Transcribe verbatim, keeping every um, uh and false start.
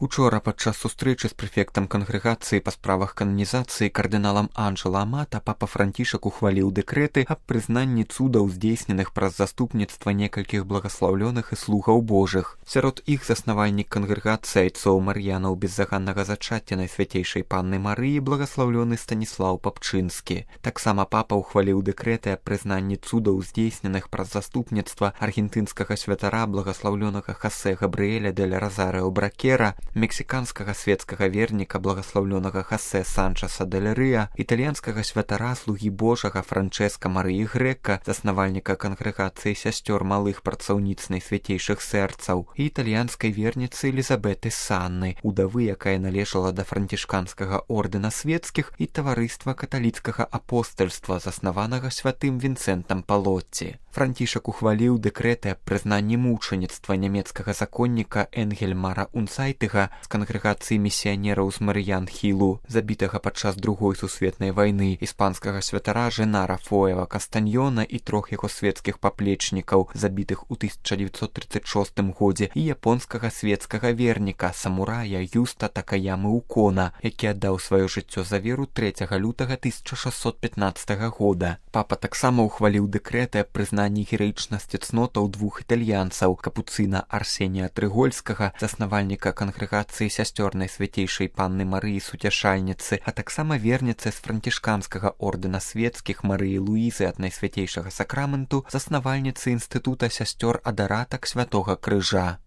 Учора падчас сустрэчы з прэфектам кангрэгацыі па справах кананізацыі кардыналам Анджела Амата папа Францішак ухваліў дэкрэты аб прызнанні цудаў, здзейсненых праз заступніцтва некалькіх благаслаўлёных і слугаў Божых. Сярод іх заснавальнік кангрэгацыі айцоў Мар'янаў беззаганнага зачацця Найсвяцейшай Панны Марыі благаслаўлёны Станіслаў Папчынскі. Таксама папа ухваліў дэкрэты аб прызнанні цудаў, здзейсненых праз заступніцтва аргентынскага святара благаслаўлёнага Хосе Габрыэля дель Розарио Бракера, мексіканскага светскага верніка благаслаўлёнага Хосе Санчаса дель Рыа, італьянскага святара слугі Божага Франчэска Марыі Грэка, заснавальніка кангрэгацыі сясцёр малых працаўніц Найсвяцейшых сэрцаў, і італьянскай верніцы Элізабеты Санны, удавы, якая належала да францішканскага ордэна свецкіх і таварыства каталіцкага апостальства, заснаванага святым Вінцэнтам Палотці. Францішак ухваліў дэкрэты аб прызнанні мучаніцтва нямецкага законніка Энгельмара Унцайтыга з кангрэгацыі місіянераў з Марыян-Хілу, забітага падчас другой сусветнай вайны, іспанскага святара Женара Фоева Кастаньёна і трох яго свецкіх паплечнікаў, забітых у тысяча дзевяцьсот трыццаць шостым годзе, і японскага свецкага верніка, самурая Юста Такаямы Укона, які аддаў сваё жыццё за веру трэцяга лютага тысяча шэсцьсот пятнаццатага года. Папа таксама ухваліў дэкрэты аб прызнанні гераічнасці цнотаў двух італьянцаў, капуцына Арсенія Трыгольскага, заснавальніка кангрэгацыі сясцёр Найсвяцейшай Панны Марыі Суцяшальніцы, а таксама верніцы з францішканскага ордэна свецкіх Марыі Луізы ад Найсвяцейшага сакраменту, заснавальніцы інстытута сясцёр Адаратак Святога Крыжа.